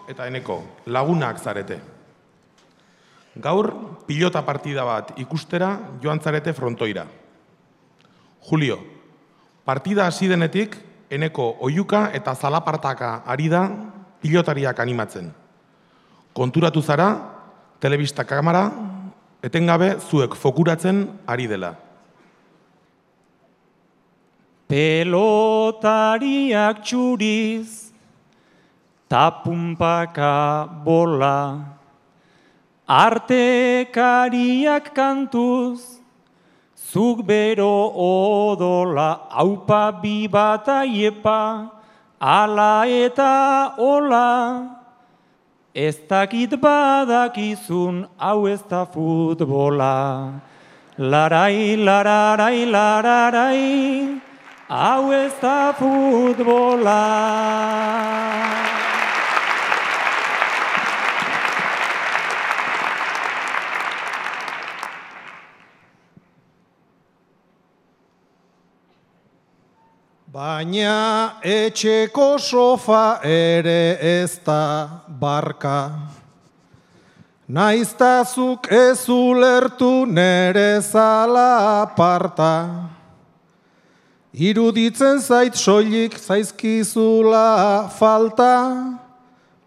eta Eneko, lagunak zarete. Gaur, pilota partida bat ikustera joan zarete frontoira. Julio, partida hasi denetik, Eneko oihuka eta zalapartaka ari da pilotariak animatzen. Konturatu zara, telebista kamera, etengabe zuek fokuratzen ari dela. Pelotariak txuriz, tapunpaka bola, artekariak kantuz, zuk bero odola, aupa bi bat aiepa, ala eta ola, ez dakit badakizun, hau ez da futbola. Larai, lararai, lararai, hau ez da futbola. Baina etxeko sofa ere ez da barka. Naiztazuk ez ulertu nere zala aparta. Iruditzen zait soilik zaizkizula falta.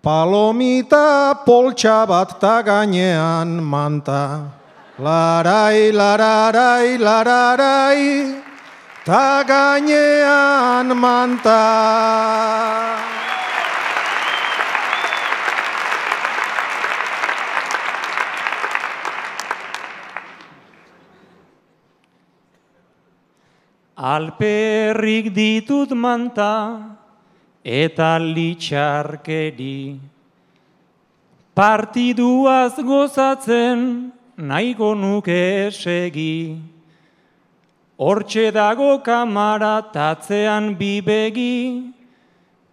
Palomita poltsa bat ta gainean manta. Larai, lararai, lararai, ta gainean manta. Alperrik ditut manta eta litxarkeri. Partiduaz gozatzen nahiko nuke segi. Hortxe dago kamara tatzean bibegi,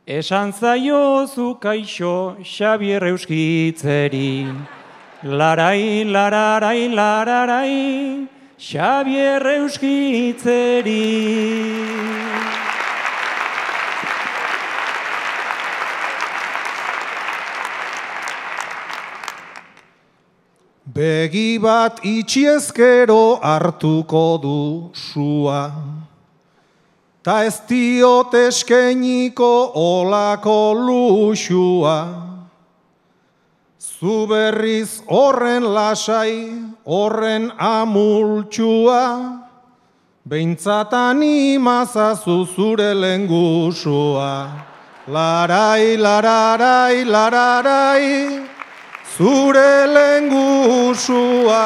esan zaiozu kaixo Xabier Euskitzeri. Larai, lararai, lararai, Xabier Euskitzeri. Begi bat itxiezkero hartuko du sua, ta ez diot eskeniko olako luxua. Zu berriz horren lasai, horren amultxua, behintzat animazazu zure lengusua. Larai, lararai, lararai, zure lengusua.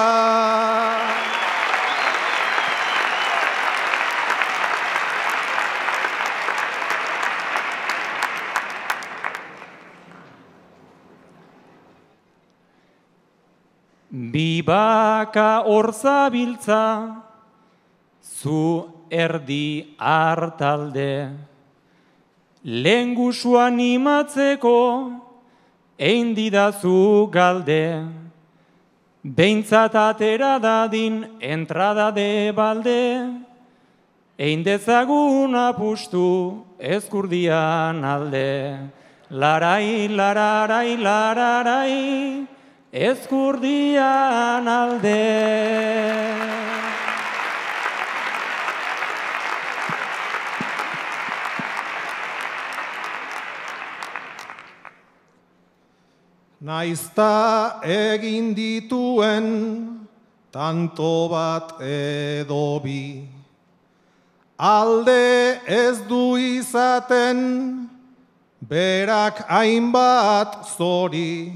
Bibaka hor zabiltza, zu erdi hartalde. Lengusua animatzeko, ein didazu galde, behintzat atera dadin entrada de balde, ein dezagun apustu ezkurdian alde. Larai, lararai, lararai, ezkurdian alde. Naizta egin dituen tanto bat edo bi, alde ez du izaten berak hainbat zori,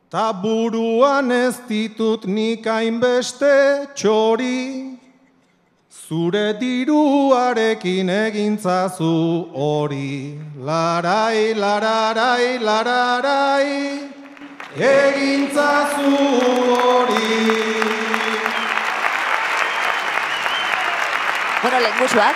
ta buruan ez ditut nik hainbeste txori, zure diruarekin egintzazu hori. Larai, lararai, lararai, egintzazu hori. Bueno, lengusuak,